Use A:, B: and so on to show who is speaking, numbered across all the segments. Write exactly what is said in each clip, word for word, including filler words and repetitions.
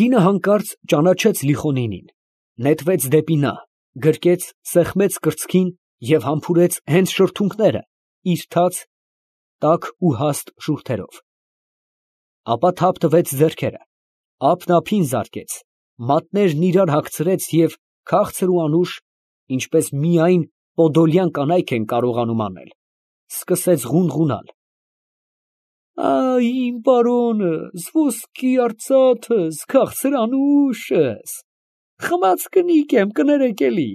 A: Կինը հանկարծ ճանաչեց Լիխոնինին, նետվեց դեպի նա, գրկեց, սեղմեց կրծքին և համբուրեց հենց շրթունքները իր թաց, տաք ու հաստ շուրթերով. ապա թափ տվեց ձեռքերը, ափն ափին զարկեց, մատներն իրար հագցրեց և քաղցր ու անուշ, ինչպես միայն պոդոլյան կանայք են կարողանում անել, սկսեց ղունղունալ. «Ա՜յ, իմ պարոնս, ոսկի արծաթս, քաղցր անուշս, խմած կնիկ եմ, կներեք էլի,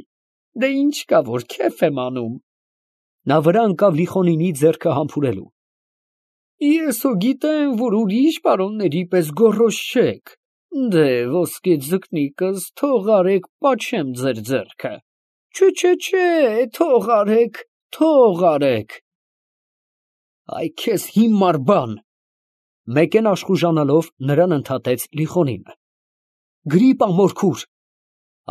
A: դե ինչ կա, որ քեֆ եմ անում»։ Նա վրա ընկավ Լիխոնինի ձեռքը համբուրելու։ «Ես հո գիտեմ, որ ուրիշ պարոնների պես գոռոզ չեք, դե ոսկե ձկնիկս, թող արեք, պաչեմ ձեր ձեռքը, չէ, չէ, չէ, թող արեք, թող արեք։ Այ քեզ հիմար բան, մեկեն աշխուժանալով նրան ընդհատեց Լիխոնինը։ Գրիպ ա մորքուր,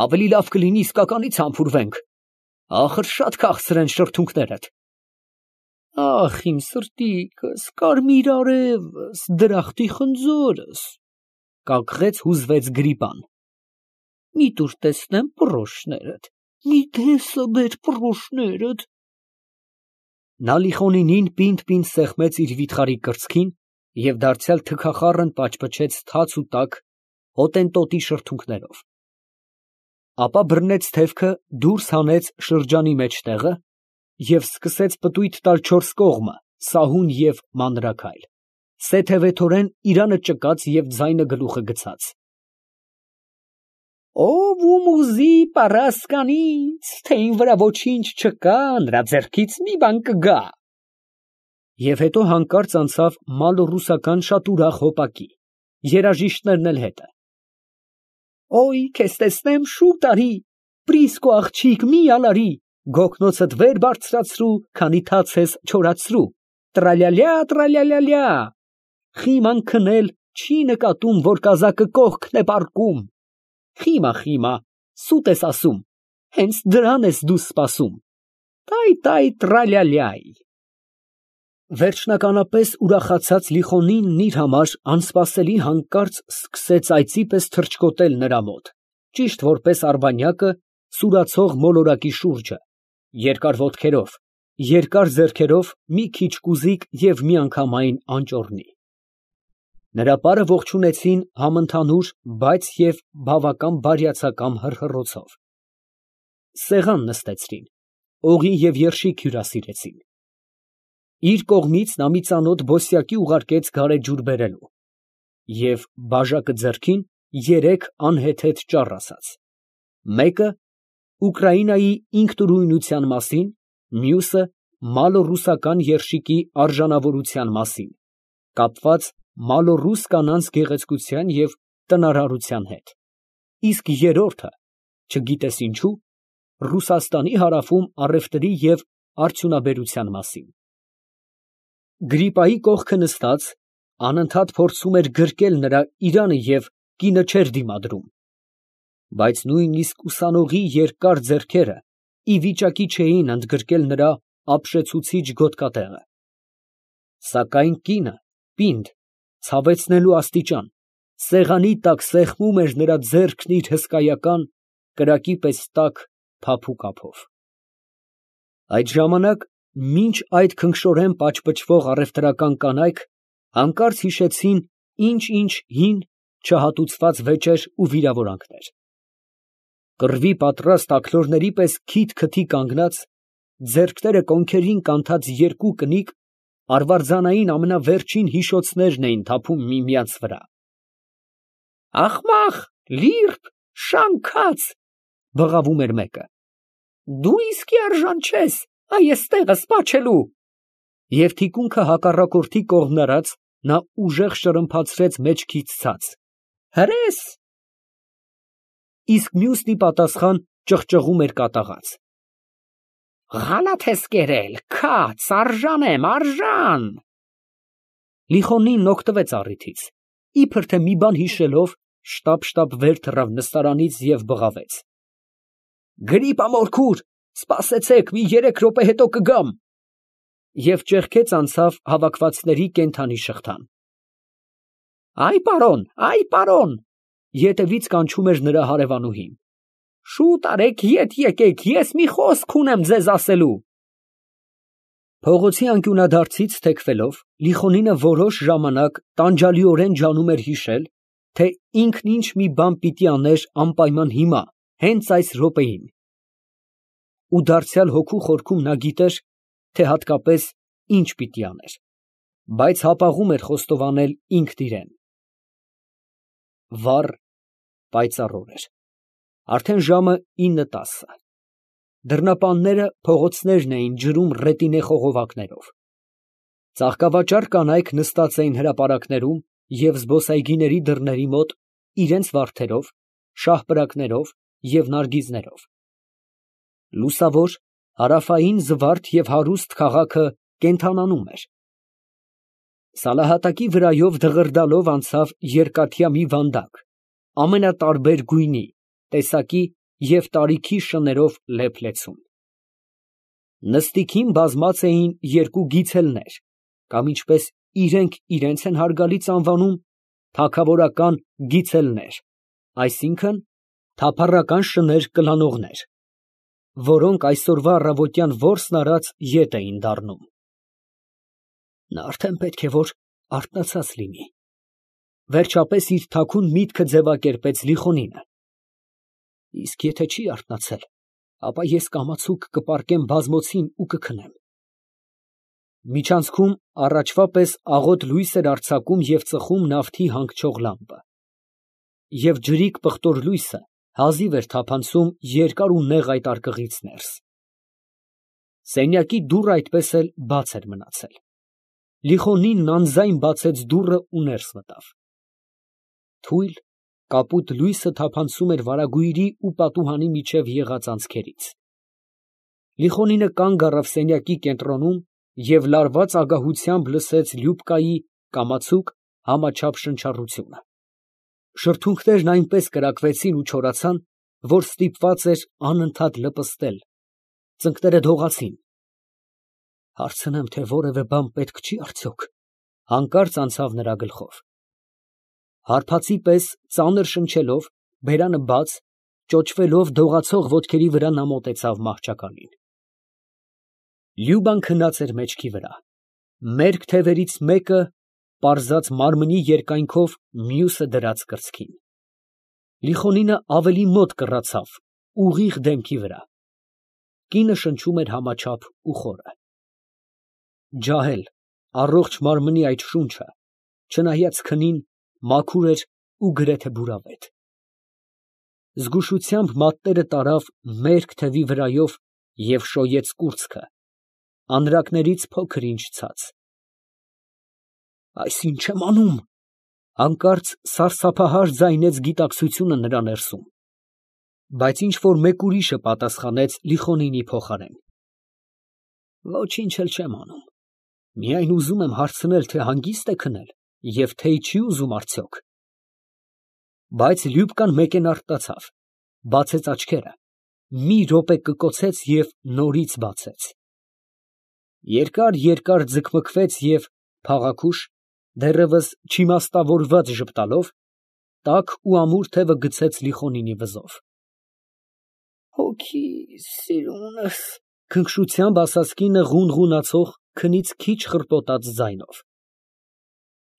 A: ավելի լավ կլինի իսկականից համբուրվենք, ախր շատ քաղցր են շրթունքներդ։ Ախ, իմ սրտիկս, կարմիր արևս, դրախտի խնձորս, կակղեց հուզվեց Գրիպան։ Մի տուր տեսնեմ պռոշներդ, մի տեսա բեր պռոշներդ։ Նա Լիխոնինին պինդ֊պինդ սեղմեց իր վիթխարի կրծքին և դարձյալ թքախառն պաչպչեց թաց ու տաք հոտենտոտի շրթունքներով, ապա բռնեց թևքը, դուրս հանեց շրջանի մեջտեղը և սկսեց պտույտ տալ չորս կողմը, սահուն և մանրաքայլ, սեթևեթորեն իրանը ճկած և ձայնը գլուխը գցած։ Ով ում ուզի պառասկանից, թե ին վրա ոչինչ չկա, նրա ձեռքից մի բան կգա։ Եվ հետո հանկարծ անցավ մալոռուսական շատ ուրախ հոպակի, երաժիշտներն էլ հետը։ Օй, քեզ տեսնեմ, շուտ արի, Պրիսկո աղջիկ, մի ալարի, գոգնոցդ վեր բարձրացրու, քանի թաց ես չորացրու, տրալյալյա, տրալյալյալյա, խիման քնել չի նկատում, որ կազակը կողքն է պառկում, խիմա, խիմա, սուտ ես ասում, հենց դրան ես դու սպասում, տայ, տայ, տրալյալյայ։ Վերջնականապես ուրախացած Լիխոնինն իր համար անսպասելի հանկարծ սկսեց այծի պես թռչկոտել նրա մոտ, ճիշտ որպես արբանյակը սուրացող մոլորակի շուրջը, երկար ոտքերով, երկար ձեռքերով մի քիչ կուզիկ և միանգամայն անճոռնի։ Նրա պարը ողջունեցին համընդհանուր, բայց և բավական բարյացակամ հռհռոցով։ Սեղան նստեցրին, օղի և երշիկ հյուրասիրեցին։ Իր կողմից նա մի ծանոթ բոսյակի ուղարկեց գարեջուր բերելու և բաժակը ձեռքին երեք անհեթեթ ճառ ասաց, մեկը Ուկրաինայի ինքնուրույնության մասին, մյուսը մալոռուսական երշիկի արժանավորության մասին, կապված մալոռուս կանանց գեղեցկության և տնարարության հետ, իսկ երրորդը, չգիտես ինչու, Ռուսաստանի հարավում առևտրի և արդյունաբերության մասին։ Գրիպայի կողքը նստած, անընդհատ փորձում էր գրկել նրա իրանը և կինը չէր դիմադրում, բայց նույնիսկ ուսանողի երկար ձեռքերը ի վիճակի չէին ընդգրկել նրա ապշեցուցիչ գոտկատեղը։ Սակայն կինը, պինդ, ցավեցնելու աստիճան, սեղանի տակ սեղմում էր նրա ձեռքն իր հսկայական, կրակի պես տաք, փափուկ ափով։ Այդ ժամանակ մինչ այդ քնքշորեն պաչպչվող առևտրական կանայք հանկարծ հիշեցին ինչ֊ինչ հին, չհատուցված վեճեր ու վիրավորանքներ։ Կռվի պատրաստ աքլորների պես քիթ֊քթի կանգնած, ձեռքները կոնքերին կանթած երկու կնիկ արվարձանային ամենավերջին հիշոցներն էին թափում միմյանց վրա։ Ախմախ, լիրբ, շանքած, բղավում էր մեկը, դու իսկի արժան չես այս տեղը սպաչելու։ Եվ թիկունքը հակառակորդի կողմն արած, նա ուժեղ շրմփացրեց մեջքից ցած. հրես։ Իսկ մյուսն ի պատասխան ճղճղում էր կատաղած. Ղալաթ ես կերել, քաց, արժան եմ, արժան։ Լիխոնինն օգտվեց առիթից, իբր թե մի բան հիշելով, շտապ֊շտապ վեր թռավ նստարանից և բղավեց. Գրիպա մորքուր, սպասեցեք, մի երեք րոպե հետո կգամ։ Եվ ճեղքեց անցավ հավաքվածների կենդանի շղթան։ Այ պարոն, այ պարոն, Ետևից կանչում էր նրա հարևանուհին։ Շուտ արեք, ետ եկեք, ես մի խոսք ունեմ ձեզ ասելու։ Փողոցի անկյունադարձից թեքվելով, Լիխոնինը որոշ ժամանակ տանջալիորեն ջանում էր հիշել, թե ինքն ինչ մի բան պիտի աներ անպայման հիմա, հենց այս րոպեին։ Ու դարձյալ հոգու խորքում նա գիտեր, թե հատկապես ինչ պիտի աներ, բայց հապաղում էր խոստովանել ինքն իրան։ Վառ, պայծառ օր էր, արդեն ժամը ինը տասը։ Դռնապանները փողոցներն էին ջրում ռետինե խողովակներով։ Ծաղկավաճառ կանայք նստած էին հրապարակներում և զբոսայգիների դռների մոտ իրենց վարդերով, շահպրակներով և նարգիզներով։ Լուսավոր, հարավային զվարթ և հարուստ քաղաքը կենդանանում էր։ Սալահատակի վրայով դղրդալով անցավ երկաթյա մի վանդակ, ամենատարբեր գույնի, տեսակի և տարիքի շներով լեփ֊լեցուն։ Նստիքին բազմած էին երկու գիցելներ, կամ ինչպես իրենք իրենց են հարգալից անվանում, թագավորական գիցելներ, այսինքն թափառական շներ կլանողներ, որոնք այսօրվա առավոտյան որսն արած ետ էին դառնում։ Նա արդեն պետք է որ արթնացած լինի, վերջապես իր թաքուն միտքը ձևակերպեց Լիխոնինը։ Իսկ եթե չի արթնացել, ապա ես կամացուկ կպառկեմ բազմոցին ու կքնեմ։ Միջանցքում առաջվա պես աղոտ լույս էր արձակում և ծխում նավթի հանգչող լամպը, և ջրիկ պղտոր լույսը հազիվ էր թափանցում երկար ու նեղ այդ արկղից ներս։ Սենյակի դուռը այդպես էլ բաց էր մնացել։ Լիխոնինն անձայն բացեց դուռը ու ներս մտավ։ Թույլ, կապույտ լույսը թափանցում էր վարագույրի ու պատուհանի միջև եղած անցքերից։ Լիխոնինը կանգ առավ սենյակի կենտրոնում և լարված ագահությամբ լսեց Լյուբկայի կամացուկ, համաչափ շնչառությունը։ Շրթունքներն այնպես կրակվեցին ու չորացան, որ ստիպված էր անընդհատ լպստել, ծնկները դողացին։ Հարցնեմ, թե որևէ բան պետք չի արդյոք, հանկարծ անցավ նրա գլխով։ Հարբածի պես ծանր շնչելով, բերանը բաց, ճոճվելով դողացող ոտքերի վրա նա մոտեցավ մահճակալին։ Լյուբան քնած էր մեջքի վրա, մերկ թևերից մեկը պարզած մարմնի երկայնքով, մյուսը դրած կրծքին։ Լիխոնինը ավելի մոտ կռացավ, ուղիղ դեմքի վրա։ Կինը շնչում էր համաչափ ու խորը։ Ջահել, առողջ մարմնի այդ շունչը, չնայած քնին, մաքուր էր ու գրեթե բուրավետ։ Զգուշությամբ մատները տարավ մերկ թևի վրայով և շոյեց կուրծքը, անրակներից փոքր ինչ ցած։ Այս ի՞նչ եմ անում, հանկարծ սարսափահար ձայնեց գիտակցությունը նրա ներսում, բայց ինչ֊որ մեկ ուրիշը պատասխանեց Լիխոնինի փոխարեն. Ոչինչ էլ չեմ անում, միայն ուզում եմ հարցնել, թե հանգիստ է քնել և թե չի ուզում արդյոք։ Բայց Լյուբկան մեկենարդացավ, բացեց աչքերը, մի րոպե կկոցեց և նորից բացեց։ Երկար֊երկար ձգմքվեց և փաղաքուշ, դեռևս չիմաստավորված ժպտալով, տաք ու ամուր թևը գցեց Լիխոնինի վզով։ Հոգիս, սիրունս, քնքշությամբ ասաց կինը ղունղունացող, քնից քիչ խռպոտած ձայնով։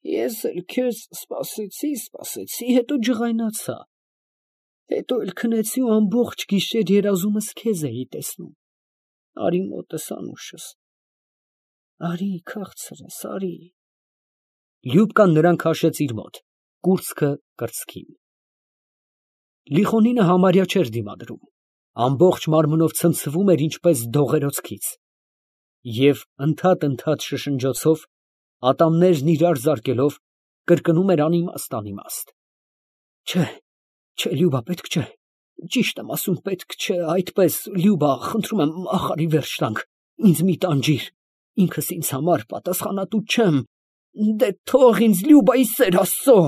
A: Ես էլ քեզ սպասեցի, սպասեցի, հետո ջղայնացա, հետո էլ քնեցի ու ամբողջ գիշեր երազումս քեզ էի տեսնում, արի մոտս անուշս, արի քաղցրս, արի։ Լյուբկան նրան քաշեց իր մոտ, կուրծքը կրծքին։ Լիխոնինը համարյա չէր դիմադրում, ամբողջ մարմնով ցնցվում էր ինչպես դողերոցքից, և ընդհատ֊ընդհատ շշնջոցով, ատամներն իրար զարկելով, կրկնում էր անիմաստ֊անիմաստ. Չէ, չէ, Լյուբա, պետք չէ, ճիշտ եմ ասում, պետք չէ, այդպես, Լյուբա, խնդրում եմ, ախարի վերջ տանք, ինձ մի տանջիր, ինքս ինձ համար պատասխանատու չեմ, դե թող ինձ, Լյուբա, ի սեր Աստծո։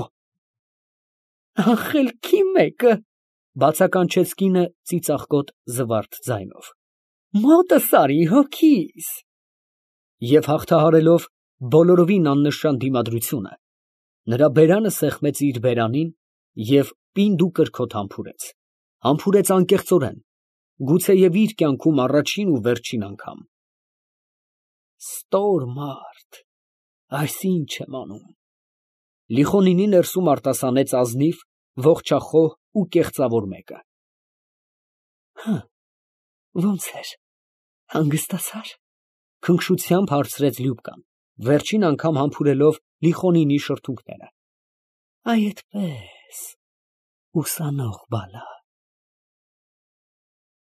A: Խելքի մեկը, բացականչեց կինը ծիծաղկոտ զվարթ ձայնով, մոտս արի, հոգիս։ Եվ հաղթահարելով բոլորովին աննշան դիմադրությունը, նրա բերանը սեղմեց իր բերանին Եվ պինդ ու կրքոտ համբուրեց, համբուրեց անկեղծորեն, գուցեև իր կյանքում առաջին ու վերջին անգամ։ Ստոր մարդ, այս ի՞նչ եմ անում։ Լիխոնինի ներսում արտասանեց ազնիվ, ողջախոհ ու կեղծավոր մեկը։ Ո՞նց էր, հանգստացա՞ր։ Քնքշությամբ հարցրեց Լյուբկան, վերջին անգամ համբուրելով Լիխոնինի շրթունքները։ Այ այդպես, ուսանող բալա։